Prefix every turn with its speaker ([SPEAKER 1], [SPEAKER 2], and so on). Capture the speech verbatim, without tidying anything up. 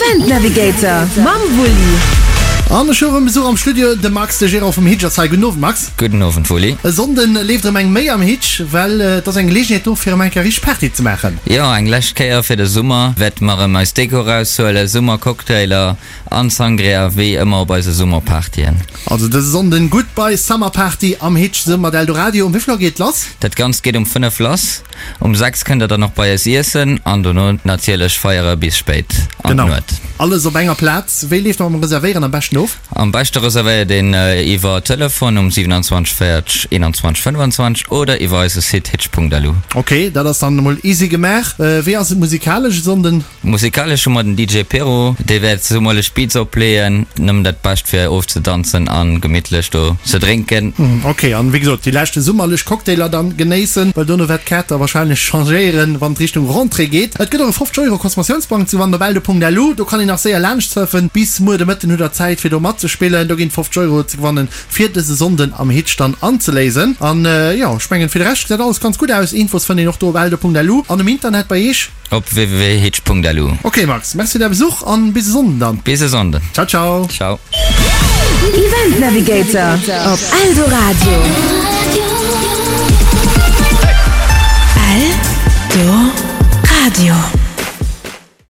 [SPEAKER 1] Event Navigator mam Wulli.
[SPEAKER 2] An ech hu rëm Besuch am Studio, de Max, de Gérant vum Hitch ass hei. Gudden Owend Max.
[SPEAKER 3] Gudden Owend Wulli.
[SPEAKER 2] E Sonnden leeft erëm eng Méi am Hitch, well et ass eng Geleegenheet do fir erëm eng Kéier richteg Party ze maachen.
[SPEAKER 3] Jo, eng lescht Kéier fir de Summer wäerte mer erëm eis Deko eraushuelen, Summercocktailer an Sangria wéi ëmmer op eise Summerpartyen.
[SPEAKER 2] Also dëse Sonnden Goodbye Summer Party am Hitch zesumme mat Eldoradio. Um wéi vill Auer geet et lass?
[SPEAKER 3] Dat Ganzt geet um fënnef lass. Um sechs kënnt der dann och bei eis iessen an dono natierlech feiere bis spéit an
[SPEAKER 2] Genau.
[SPEAKER 3] d'Nuet.
[SPEAKER 2] Alles op enger Plaz. Wéi leeft dat mam Reservéieren am beschten of?
[SPEAKER 3] Am beschte reservéiert een iwwer Telefon um siewenundzwanzeg véierzeg eenanzwanzeg fënnefanzwanzeg oder iwwer eise Site hitch.lu.
[SPEAKER 2] Ok, dat ass dann emol easy gemaach. Wéi ass et musikalesch e Sonnden?
[SPEAKER 3] Musikalesch hu mer den D J Pero, dee wäert summerlech Beats opleeën. Nëmmen dat Bescht fir ofzedanzen an gemittlech do ze drénken.
[SPEAKER 2] Ok, an wéi gesot déi leschte summerlech Cocktailer dann genéissen, well dono wäert d'Kaart da wahrscheinlech changéieren, wann et Richtung Rentrée geet. Et gëtt och e fofzeg Euro Consommatiounsbong ze gewannen op eldo.lu. Do kann een nach séier laanscht surfen. Bis muer de Mëtten hutt der Zäit fir do matzespillen. Do ginn fofzeg Euro ze gewannen fir dëse Sonnden am Hitch dann anzeléisen. An jo, ech mengen fir de Rescht gesäit alles ganz gutt aus. Infos fënnt een och do op eldo.lu an um Internet bei iech.
[SPEAKER 3] Op www.hitch.lu.
[SPEAKER 2] Ok Max, merci fir däi Besuch an bis e Sonnden dann.
[SPEAKER 3] Bis e Sonnden.
[SPEAKER 2] Ciao ciao.
[SPEAKER 3] Ciao.
[SPEAKER 1] Event Navigator op Eldoradio. Eldoradio.